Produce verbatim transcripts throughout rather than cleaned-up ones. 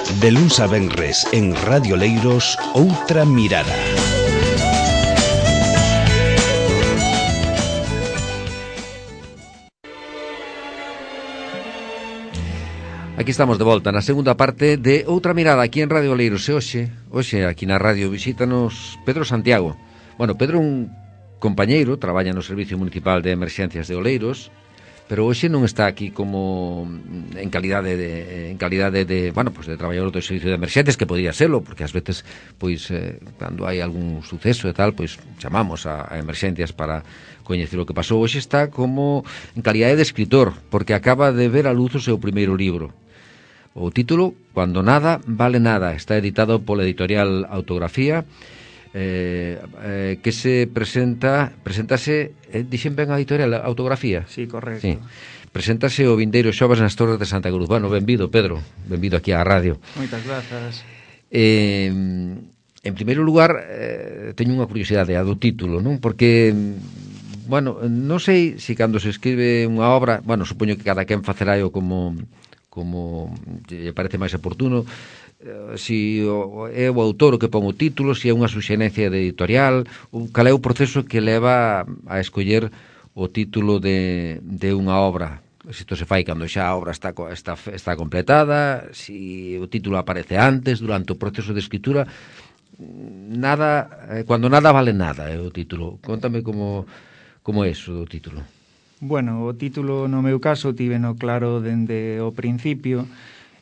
De luns a venres en Radio Leiros, Outra Mirada. Aquí estamos de volta na segunda parte de Outra Mirada aquí en Radio Leiros. E hoxe, hoxe aquí na radio visítanos Pedro Santiago. Bueno, Pedro é un compañeiro, traballa no Servicio Municipal de Emerxencias de Oleiros, pero hoxe non está aquí como en calidade de en calidade de, bueno, pues de traballador do Servicio de Emerxencias, que podría serlo, porque ás veces pois eh, cando hai algún suceso e tal, pois chamamos a, a Emerxencias para coñecer o que pasou. Hoxe está como en calidade de escritor, porque acaba de ver a luz o seu primeiro libro. O título, Cuando nada vale nada, está editado pola editorial Autografía, eh, eh, que se presenta, presentase, eh, dixen ben a editorial Autografía? Sí, correcto. Sí. Presentase o vindeiro xoves nas Torres de Santa Cruz. Bueno, benvido, Pedro, benvido aquí á radio. Moitas grazas. Eh, en primeiro lugar, eh, teño unha curiosidade, a do título, non? Porque, bueno, non sei se cando se escribe unha obra, bueno, supoño que cada quen facerá o como... como lle parece máis oportuno, eh, si o, é o autor o que pon o título, si é unha suxerencia de editorial, ou cal é o proceso que leva a escoller o título de, de unha obra. Se isto se fai cando xa a obra está, está, está completada, si o título aparece antes, durante o proceso de escritura, nada, eh, cuando nada vale nada é o título. Contame como, como é iso do título. Bueno, o título no meu caso tiveno claro dende o principio.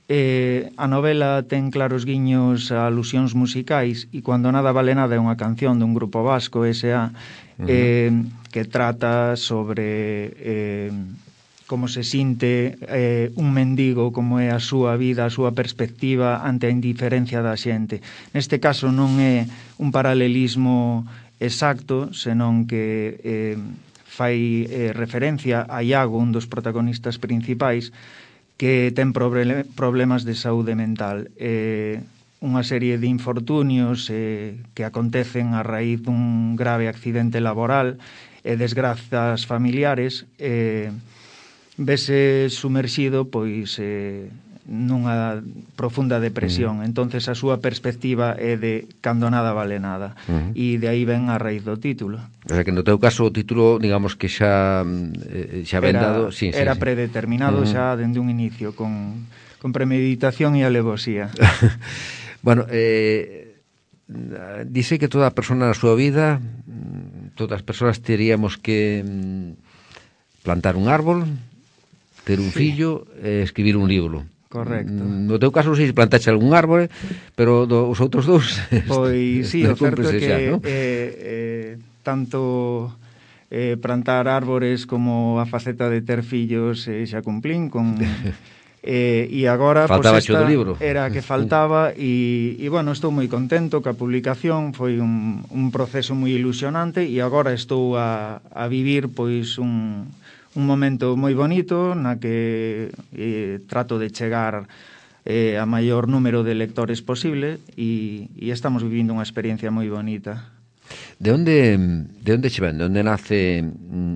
Eh, a novela ten claros guiños a alusións musicais e Cuando nada vale nada é unha canción dun grupo vasco, S A, uh-huh. eh, que trata sobre eh, como se sinte eh, un mendigo, como é a súa vida, a súa perspectiva ante a indiferencia da xente. Neste caso non é un paralelismo exacto, senón que... Eh, fai eh, referencia a Iago, un dos protagonistas principais, que ten proble- problemas de saúde mental. Eh, unha serie de infortunios eh, que acontecen a raíz dun grave accidente laboral e desgrazas familiares, eh, vese sumerxido pois eh, nunha profunda depresión. Uh-huh. Entonces a súa perspectiva é de cando nada vale nada. Uh-huh. E de aí ven a raíz do título. O sea que no teu caso o título, digamos que xa eh, xa ben dado, sí, era sí, predeterminado sí. xa dende un inicio con, con premeditación e alevosía. Bueno, eh, dice que toda persona na súa vida, todas as persoas teríamos que plantar un árbol, ter un sí. fillo e escribir un libro. Correcto. No teu caso non sei se plantaxe algún árbore, pero do, os outros dous... Pois sí, o certo é que xa, ¿no? eh, eh, tanto eh, plantar árbores como a faceta de ter fillos eh, xa cumplín con... Eh, e agora faltaba pues, esta do libro. Era que faltaba e, e bueno, estou moi contento que a publicación foi un, un proceso moi ilusionante e agora estou a, a vivir pois un... un momento moi bonito na que eh, trato de chegar eh, a maior número de lectores posible e, e estamos vivindo unha experiencia moi bonita. De onde de onde che ven? De onde nace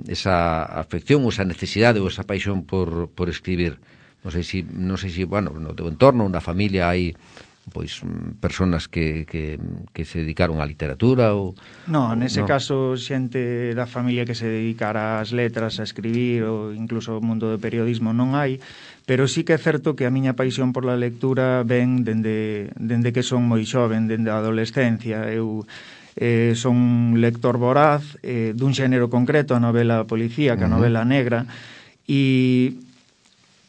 esa afección ou esa necesidade ou esa paixón por, por escribir? Non sei se, non sei se, bueno, no teu entorno, na familia hai pois personas que, que, que se dedicaron á literatura ou... Non, nese no. caso xente da familia que se dedicara ás letras, a escribir ou incluso o mundo do periodismo non hai, pero sí que é certo que a miña paixón por la lectura ven dende, dende que son moi xoven, dende a adolescencia. Eu eh, son un lector voraz eh, dun xénero concreto, a novela policíaca, a novela negra, e...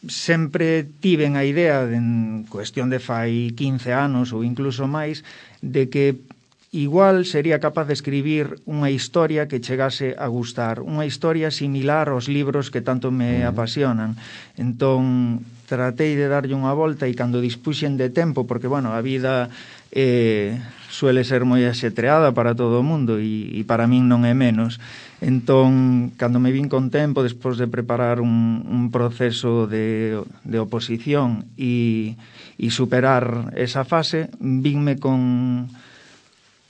sempre tiven a idea, en cuestión de fai quince anos ou incluso máis, de que igual sería capaz de escribir unha historia que chegase a gustar, unha historia similar aos libros que tanto me apasionan. Entón, tratei de darlle unha volta e cando dispuxen de tempo, porque, bueno, a vida eh, suele ser moi axetreada para todo o mundo e, e para min non é menos. Entón, cando me vin con tempo, despois de preparar un, un proceso de, de oposición e, e superar esa fase, vinme con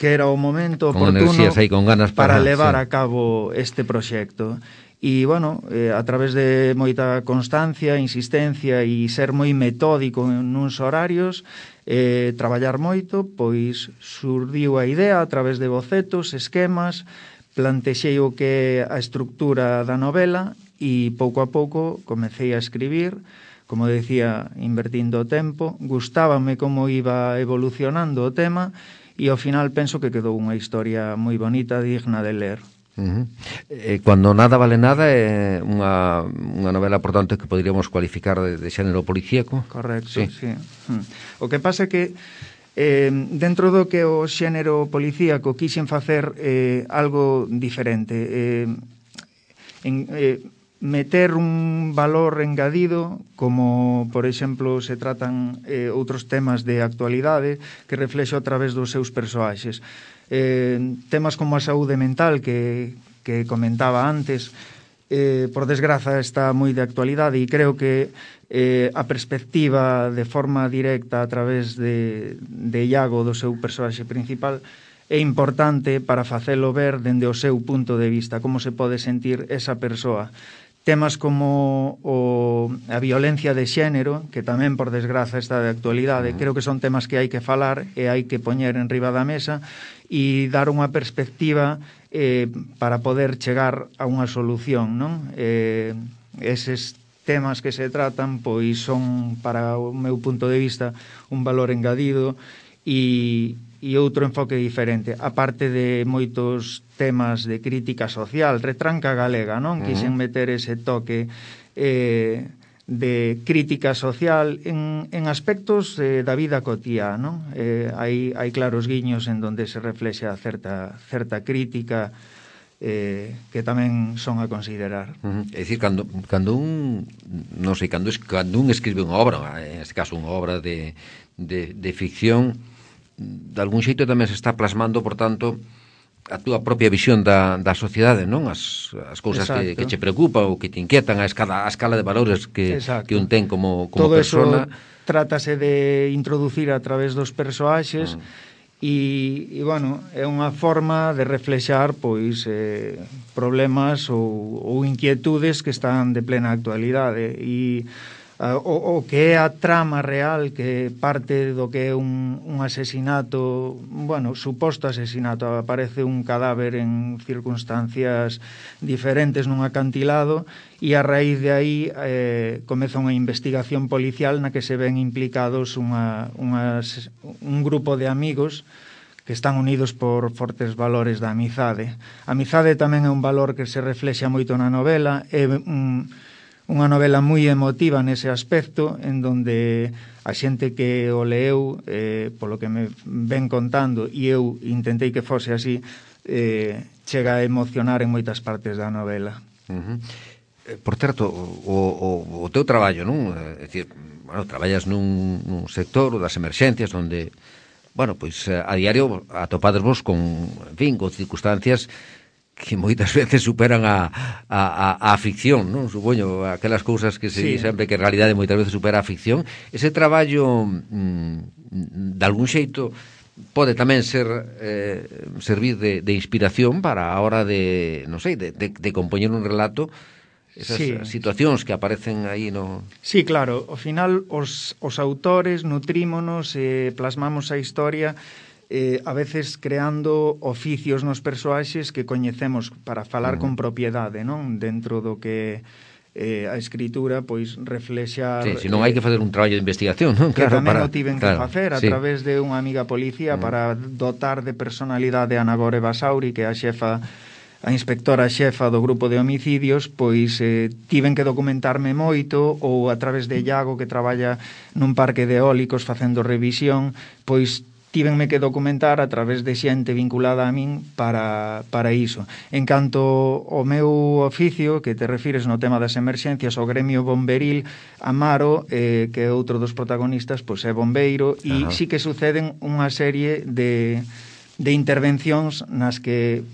que era o momento con oportuno aí, con ganas para, para levar sí. a cabo este proxecto. E, bueno, eh, a través de moita constancia, insistencia e ser moi metódico nuns horarios, eh, traballar moito, pois surdiu a idea a través de bocetos, esquemas, plantexei o que é a estructura da novela e pouco a pouco comecei a escribir, como decía, invertindo o tempo, gustábame como iba evolucionando o tema e ao final penso que quedou unha historia moi bonita, digna de ler. Uh-huh. Eh, Cuando nada vale nada é unha, unha novela, por tanto, que poderíamos cualificar de, de xénero policíaco. Correcto, sí, sí. Hmm. O que pasa é que eh, dentro do que o xénero policíaco quixen facer eh, algo diferente, eh, en, eh, meter un valor engadido, como, por exemplo, se tratan eh, outros temas de actualidade que reflexo a través dos seus persoaxes. Eh, temas como a saúde mental que, que comentaba antes, eh, por desgraza está moi de actualidade e creo que eh, a perspectiva de forma directa a través de, de Iago, do seu persoaxe principal, é importante para facelo ver dende o seu punto de vista, como se pode sentir esa persoa. Temas como o, a violencia de xénero, que tamén, por desgraza, está de actualidade, creo que son temas que hai que falar e hai que poñer en riba da mesa e dar unha perspectiva eh, para poder chegar a unha solución, non? Eh, eses temas que se tratan, pois son, para o meu punto de vista, un valor engadido e, e outro enfoque diferente, aparte de moitos temas de crítica social, retranca galega, non? Uh-huh. Quixen meter ese toque eh, de crítica social en, en aspectos eh, da vida cotiá, non? Eh, hai, hai claros guiños en donde se reflexa certa, certa crítica eh, que tamén son a considerar. Uh-huh. É dicir, cando, cando un non sei, cando, cando un escribe unha obra, en este caso unha obra de, de, de ficción, de algún xeito tamén se está plasmando, por tanto, a túa propia visión da, da sociedade, non? As, as cousas que, que che preocupan ou que te inquietan, a escala, a escala de valores que, que un ten como, como todo persona. Todo eso trátase de introducir a través dos persoaxes mm. e, e, bueno, é unha forma de reflexar, pois, eh, problemas ou, ou inquietudes que están de plena actualidade e Uh, o, o que é a trama real, que parte do que é un, un asesinato, bueno, suposto asesinato, aparece un cadáver en circunstancias diferentes nun acantilado e a raíz de aí eh, comeza unha investigación policial na que se ven implicados unha, unhas, un grupo de amigos que están unidos por fortes valores da amizade. A amizade tamén é un valor que se reflexa moito na novela, é un unha novela moi emotiva nese aspecto, en donde a xente que o leeu, eh, polo que me ven contando, e eu intentei que fose así, eh, chega a emocionar en moitas partes da novela. Uh-huh. Por certo, o, o, o teu traballo, non? É dicir, bueno, traballas nun, nun sector das emerxencias onde, bueno, pois a diario atopades vos con, en fin, con circunstancias que moitas veces superan a, a, a, a ficción, non? Supoño, aquelas cousas que se sí. sempre que en realidade moitas veces supera a ficción. Ese traballo, mm, de algún xeito, pode tamén ser eh, servir de, de inspiración para a hora de, non sei, de, de, de compoñer un relato, esas sí. situacións que aparecen aí no... Sí, claro, ao final os, os autores nutrímonos e eh, plasmamos a historia eh, a veces creando oficios nos persoaxes que coñecemos para falar uh-huh. con propiedade, non? Dentro do que eh, a escritura pois reflexar... Sí, senón hai que facer un traballo de investigación, non? Que Claro, tamén para... o tiven claro, que facer a sí. través de unha amiga policía uh-huh. para dotar de personalidade a Ana Gore Basauri, que é a xefa, a inspectora xefa do grupo de homicidios, pois eh, tiven que documentarme moito, ou a través de Iago, que traballa nun parque de eólicos facendo revisión, pois tívenme que documentar a través de xente vinculada a min para, para iso. En canto ao meu oficio, que te refires no tema das emerxencias, o gremio bomberil, Amaro, eh, que é outro dos protagonistas, pois é bombeiro, e sí que suceden unha serie de, de intervencións nas que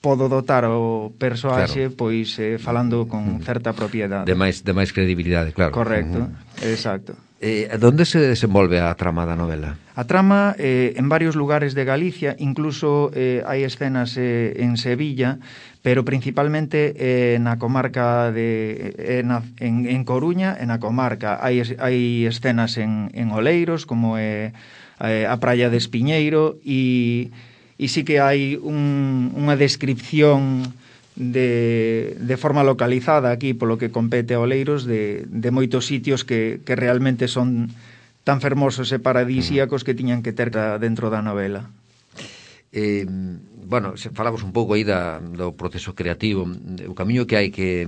podo dotar o persoaxe, claro. pois eh, falando con certa propiedade. De máis, de máis credibilidade, claro. Correcto, Uh-huh. exacto. Eh, onde se desenvolve a trama da novela? A trama eh, en varios lugares de Galicia, incluso eh, hai escenas eh, en Sevilla, pero principalmente eh, na comarca de eh, na, en, en Coruña e na comarca. Hai, hai escenas en, en Oleiros, como é eh, a praia de Espiñeiro, e e sí que hai un, unha descripción de, de forma localizada aquí, polo que compete a Oleiros, de, de moitos sitios que, que realmente son tan fermosos e paradisíacos que tiñan que ter dentro da novela. Eh, bueno, se falamos un pouco aí da, do proceso creativo, o camiño que hai que,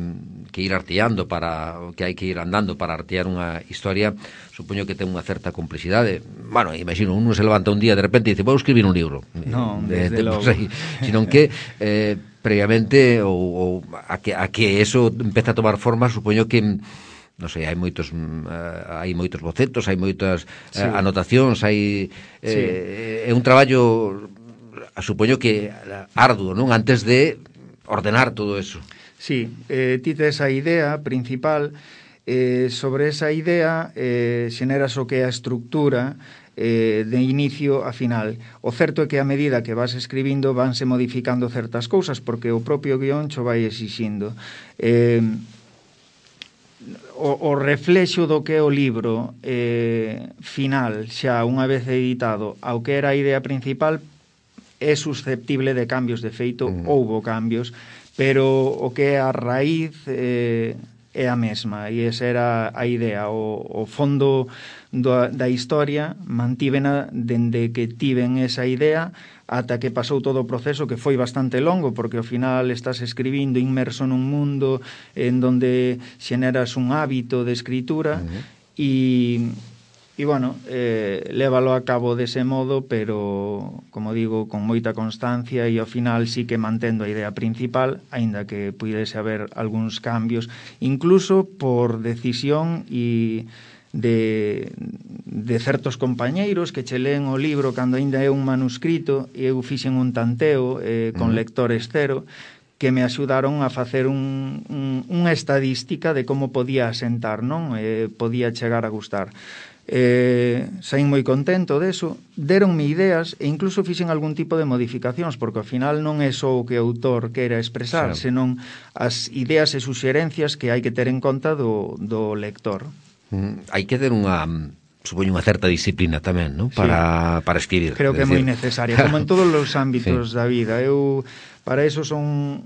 que ir arteando para, que hai que ir andando para artear unha historia, supoño que ten unha certa complexidade. Bueno, imagino, uno se levanta un día de repente e dice, vou escribir un libro. No, de, desde de, logo. Aí, sino que eh, previamente ou, ou a, que, a que eso empeza a tomar forma, supoño que non sei, hai moitos uh, hai moitos bocetos, hai moitas uh, sí. anotacións, hai eh, sí. é un traballo supoño que arduo, non? Antes de ordenar todo eso. Sí, eh, ti tes a idea principal, eh, sobre esa idea eh, xeneras o que é a estructura eh, de inicio a final. O certo é que a medida que vas escribindo vanse modificando certas cousas, porque o propio guión cho vai exixindo. Eh, o, o reflexo do que é o libro eh, final, xa unha vez editado, ao que era a idea principal, é susceptible de cambios. De feito, mm. houbo cambios, pero o que é a raíz eh, é a mesma, e esa era a idea. O, o fondo do, da historia mantívena dende que tiven esa idea ata que pasou todo o proceso, que foi bastante longo, porque ao final estás escribindo inmerso nun mundo en donde xeneras un hábito de escritura, uh-huh. e E, bueno, eh, lévalo a cabo dese modo, pero, como digo, con moita constancia, e ao final sí que mantendo a idea principal, aínda que puidese haber algúns cambios, incluso por decisión e de, de certos compañeiros que che leen o libro cando aínda é un manuscrito, e eu fixen un tanteo eh, con lectores cero, que me axudaron a facer un, un, unha estadística de como podía asentar, non? Eh, podía chegar a gustar. Eh, saín moi contento deso, deronme ideas e incluso fixen algún tipo de modificacións, porque ao final non é só o que o autor quera expresar, sí. senón as ideas e suxerencias que hai que ter en conta do, do lector. Mm, hai que ter unha, supoño, unha certa disciplina tamén, non? Para, sí. para escribir. Creo que é moi necesaria, como en todos os ámbitos sí. da vida. Eu, para eso, son...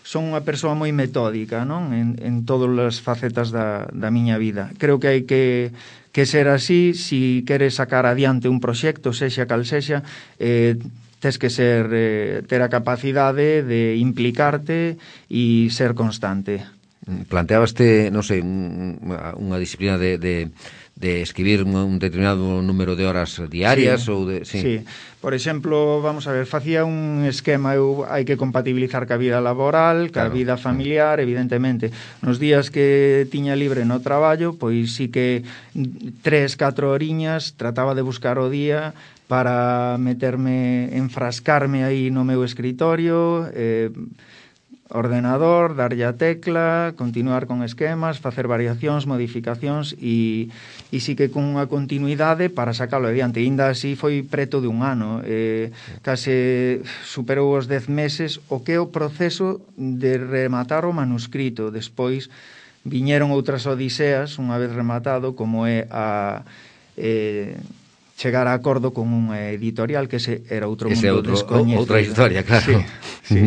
son unha persoa moi metódica, non? En, en todas as facetas da, da miña vida. Creo que hai que, que ser así, si queres sacar adiante un proxecto, sexa cal sexa, eh, tes que ser, eh, ter a capacidade de implicarte e ser constante. Planteabaste, non sei, unha, unha disciplina de, de, de escribir un determinado número de horas diarias? Sí, ou de, sí. sí. Por exemplo, vamos a ver, facía un esquema, eu hai que compatibilizar ca vida laboral, ca claro. vida familiar, evidentemente. Nos días que tiña libre no traballo, pois sí que tres, catro horiñas trataba de buscar o día para meterme, enfrascarme aí no meu escritorio, eh, ordenador, darlle a tecla, continuar con esquemas, facer variacións, modificacións e, e sí que con unha continuidade para sacalo adiante. E ainda así foi preto de un ano, eh, case superou os dez meses o que é o proceso de rematar o manuscrito. Despois viñeron outras odiseas unha vez rematado, como é a... Eh, chegar a acordo con unha editorial, que ese era outro ese mundo outro, descoñecido. Outra historia, claro. Sí, sí.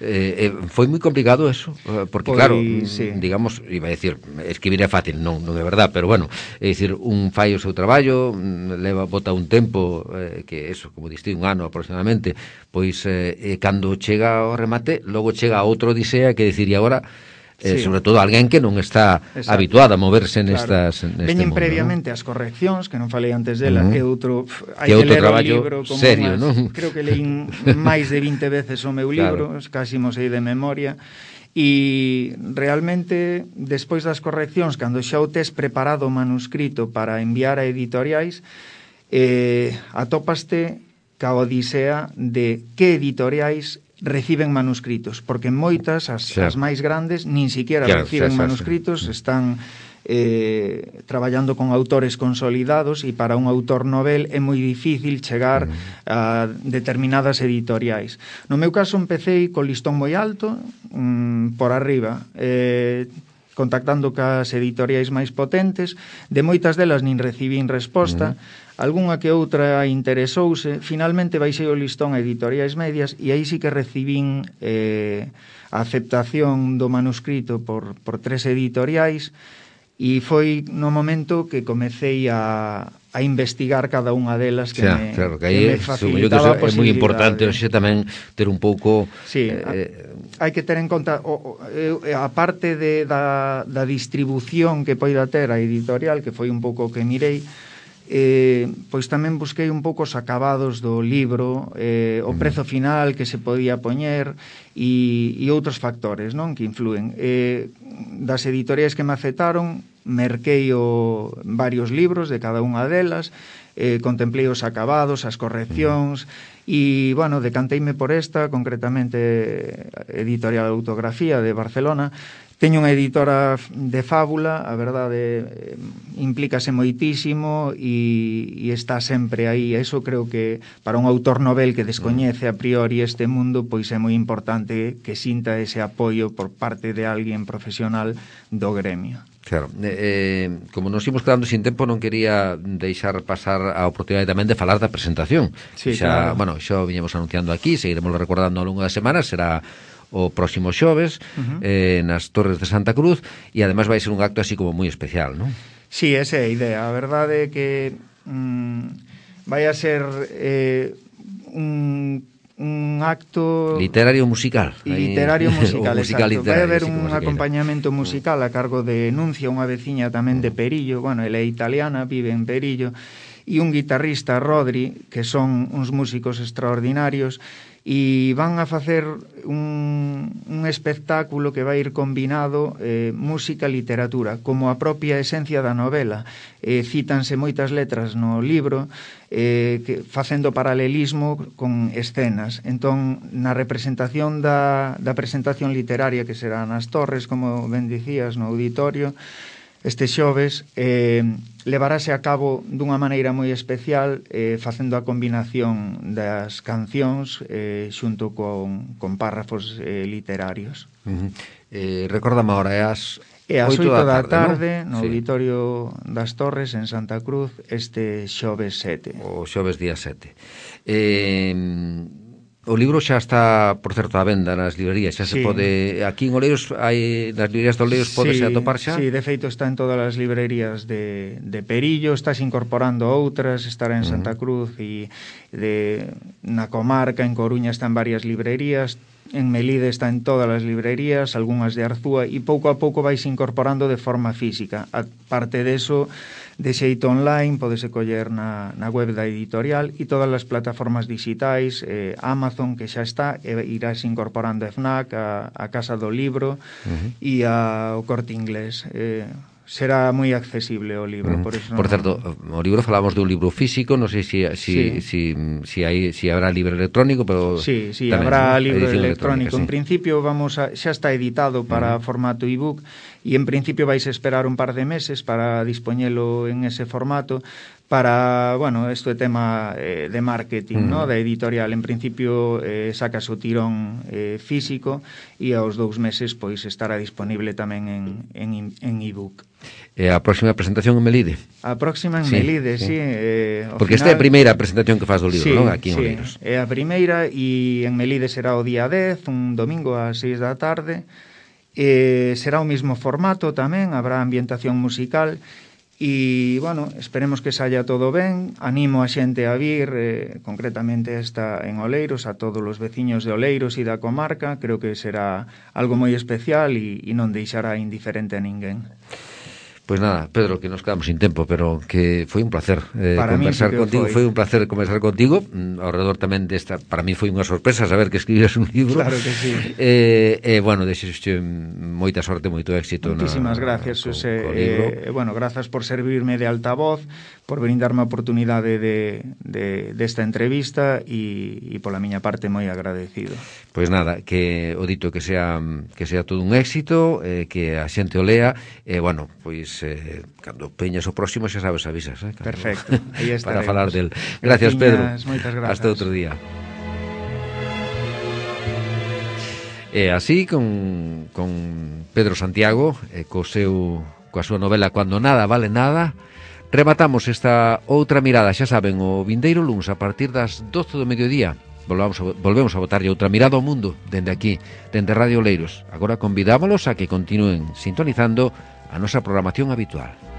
eh, eh, foi moi complicado eso, porque Foi, claro, sí. digamos, iba a decir, escribir é fácil, non, non é verdad, pero bueno, é dicir, un fai o seu traballo, leva, bota un tempo, eh, que eso, como diste, un ano aproximadamente, pois eh, cando chega ao remate, logo chega a outro odisea que decir, e agora... Eh, sí. Sobre todo alguén que non está Exacto. habituado a moverse nestas claro. neste Veñen mundo, previamente ¿no? as correccións, que non falei antes dela, uh-huh. que outro hai que, que outro ler traballo o libro como serio, más, non? Creo que leín máis de vinte veces o meu libro, claro. casi mo sei de memoria. E realmente, despois das correccións, cando xa o tes preparado o manuscrito para enviar a editoriais, eh, atópaste ca odisea de que editoriais reciben manuscritos, porque moitas, as, Xa. as máis grandes, nin siquiera Claro, reciben xa, xa, manuscritos, xa. están eh, traballando con autores consolidados, e para un autor novel é moi difícil chegar Mm. a determinadas editoriais. No meu caso empecé co listón moi alto, mm, por arriba, eh, contactando cas editoriais máis potentes, de moitas delas nin recibín resposta, Mm. algunha que outra interesouse, finalmente baixei o listón a editoriais medias e aí sí que recibín eh, a aceptación do manuscrito por, por tres editoriais, e foi no momento que comecei a, a investigar cada unha delas que Xa, me, claro, que que aí me é facilitaba a moi posibilidade. importante hoxe tamén ter un pouco Sí, eh, hai que ter en conta o, o, a parte de, da, da distribución que poida ter a editorial, que foi un pouco que mirei, eh, pois tamén busquei un pouco os acabados do libro, eh, o prezo final que se podía poñer e, e outros factores, non, que influen. Eh, das editoriais que me aceptaron, merquei o varios libros de cada unha delas, eh, contemplei os acabados, as correccións, e, bueno, decanteime por esta, concretamente Editorial Autografía de Barcelona. Teño unha editora de fábula, a verdade, eh, implícase moitísimo e, e está sempre aí. Eso creo que para un autor novel que descoñece a priori este mundo, pois é moi importante que sinta ese apoio por parte de alguén profesional do gremio. Claro, eh, como nos imos quedando sin tempo, non quería deixar pasar a oportunidade tamén de falar da presentación. Sí, xa, claro. Bueno, xa viñemos anunciando aquí, seguiremos recordando ao longo das semanas, será o próximo xoves, uh-huh. eh, nas Torres de Santa Cruz, e ademais vai ser un acto así como moi especial, non? Sí, esa é a idea. A verdade é que mm, vai a ser eh, un, un acto literario musical. Literario musical, musical exacto. Literario, vai haber sí, un acompañamento musical a cargo de Nuncia, unha veciña tamén de Perillo, bueno, ela é italiana, vive en Perillo, e un guitarrista, Rodri, que son uns músicos extraordinarios, e van a facer un, un espectáculo que vai ir combinado eh, música e literatura, como a propia esencia da novela. Eh, cítanse moitas letras no libro, eh, que, facendo paralelismo con escenas. Entón, na representación da, da presentación literaria, que será nas Torres, como ben dicías, no auditorio, este xoves, eh, levarase a cabo dunha maneira moi especial, eh, facendo a combinación das cancións eh, xunto con, con párrafos eh, literarios. Uh-huh. eh, Recórdame agora, é as E ás oito da tarde, ¿no? no Sí. Auditorio das Torres, en Santa Cruz, este xoves sete. O xoves día sete. Eh... O libro xa está, por certo, a venda nas librerías, xa se Sí. pode... Aquí en Oleiros, hai, nas librerías de Oleiros, podese Sí, atopar xa? Sí, de feito está en todas as librerías de, de Perillo, estás incorporando outras, estará en Santa Cruz e de, na comarca, en Coruña está en varias librerías, en Melide está en todas as librerías, algunhas de Arzúa, e pouco a pouco vais incorporando de forma física. A parte deso, de xeito online, podese coller na, na web da editorial e todas as plataformas digitais, eh, Amazon, que xa está, e irás incorporando a FNAC, a, a Casa do Libro uh-huh. e a, o Corte Inglés. Eh, será moi accesible o libro, uh-huh. por eso Por non... certo, o libro falamos dun libro físico, non sei se si, si, sí. si, si, hai, si habrá libro electrónico, pero Sí, sí, tamén, habrá ¿no? libro Sí. electrónico. En principio vamos a, xa está editado para uh-huh. formato ebook e en principio vais a esperar un par de meses para dispoñelo en ese formato para, bueno, isto é tema eh, de marketing, uh-huh. ¿no? Da editorial. En principio eh, sacas o tirón eh, físico e aos dous meses pois estará disponible tamén en, en, en ebook. E a próxima presentación en Melide? A próxima en sí, Melide, sí. sí. Eh, Porque final... esta é a primeira presentación que faz do libro, sí, non? Aquí en sí, Oleiros. É a primeira e en Melide será o día dez, un domingo ás seis da tarde. Eh, será o mismo formato tamén, habrá ambientación musical e, bueno, esperemos que saia todo ben. Animo a xente a vir, eh, concretamente esta en Oleiros, a todos os veciños de Oleiros e da comarca. Creo que será algo moi especial e, e non deixará indiferente a ninguén. Pois nada, Pedro, que nos quedamos sin tempo, pero que foi un placer eh, conversar sí contigo, foi. foi un placer conversar contigo, ao redor tamén desta, para mí foi unha sorpresa saber que escribías un libro. Claro que sí. Eh, eh, bueno, desexo moita sorte, moito éxito. Muchísimas na, gracias, Xosé. Eh, bueno, grazas por servirme de altavoz, por brindarme a oportunidade de, de, desta entrevista e, e pola miña parte moi agradecido. Pois nada, que o dito que sea que sea todo un éxito, eh, que a xente o lea, e eh, bueno, pois eh, cando peñas o próximo xa sabes, avisas, eh? Cando, perfecto, aí estaremos. Para falar del. Gracias, Pedro. Moitas grazas. Hasta outro día. E así con, con Pedro Santiago, eh, co seu, coa súa novela Cuando nada vale nada, rematamos esta outra mirada, xa saben, o vindeiro luns a partir das doce do mediodía. Volvamos a, volvemos a botarlle outra mirada ao mundo dende aquí, dende Radio Oleiros. Agora convidámolos a que continúen sintonizando a nosa programación habitual.